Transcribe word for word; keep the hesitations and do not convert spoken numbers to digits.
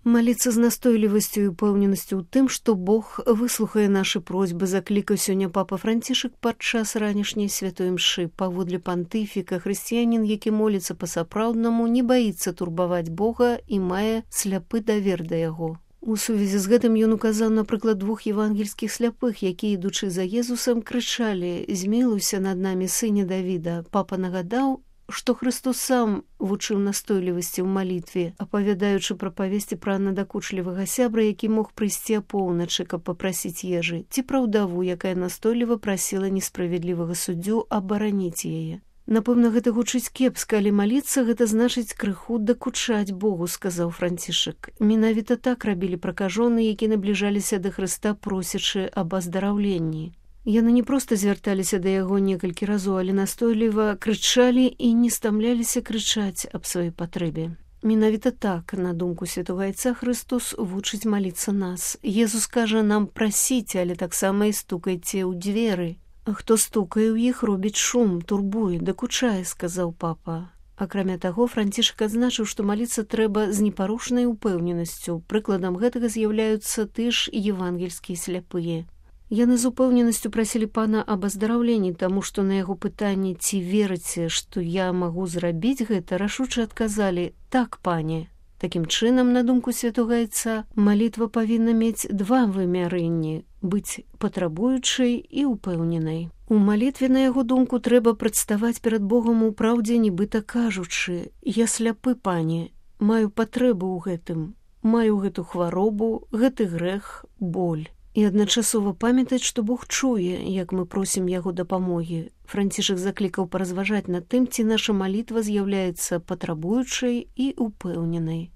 Маліцца з настойлівасцю і упэўненасцю ў тым, што Бог выслухае нашы просьбы, заклікаў сёння папа Францішак падчас ранішняй святой мшы. Паводле пантыфіка, хрысціянін, які моліцца па-сапраўднаму, не баіцца турбаваць Бога і мае сляпы давер да яго. У сувязі з гэтым ён указаў, напрыклад, двух евангельскіх сляпых, якія, ідучы за Езусам, крычалі: «Змілуйся над намі, сыне Давіда». Папа нагадаў, што Христос сам вучыў настойлівасці ў малітве, апавядаючы пра павесці пра надакучлівага сябра, які мог прыйсці апоўначы, каб папрасіць ежы, ці пра ўдаву, якая настойліва прасіла несправядлівага суддзю абараніць яе. Напэўна, гэта гучыць кепска, але маліцца гэта значыць крыху дакучаць Богу, сказаў Францішак. Менавіта так рабілі пракажоны, які набліжаліся да Хрыста, просячы аб аздараўленні. Яны не проста звярталіся да яго некалькі разоў, але настойліва крычалі і не стамляліся крычаць аб сваёй патрэбе. Менавіта так, на думку святога айца, Христос вучыць маліцца нас. Езус кажа нам прасіць, але таксама і стукайце ў дзверы. А хто стукае ў іх, робіць шум, турбуе, дакучае, сказаў папа. Акрамя таго, Францішак адзначыў, што маліцца трэба з непарушнай упэўненасцю. Прыкладам гэтага з'яўляюцца ты ж евангельскія сляпыя. Яны з упэўненасцю прасілі пана аб аздараўленні, таму што на яго пытанне, ці верыце, што я магу зрабіць гэта, рашуча адказалі: «Так, пане». Такім чынам, на думку святога айца, малітва павінна мець два вымярэнні – быць патрабуючай і упэўненай. У малітве, на яго думку, трэба прадставаць перад Богом у праўдзе, нібыта кажучы: «Я сляпы, пане, маю патрэбу ў гэтым, маю гэту хваробу, гэты грэх, боль». І адначасова памятаць, што Бог чуе, як мы просім яго дапамогі. Францішак заклікаў паразважаць над тым, ці наша малітва з'яўляецца патрабуючай і упэўненай.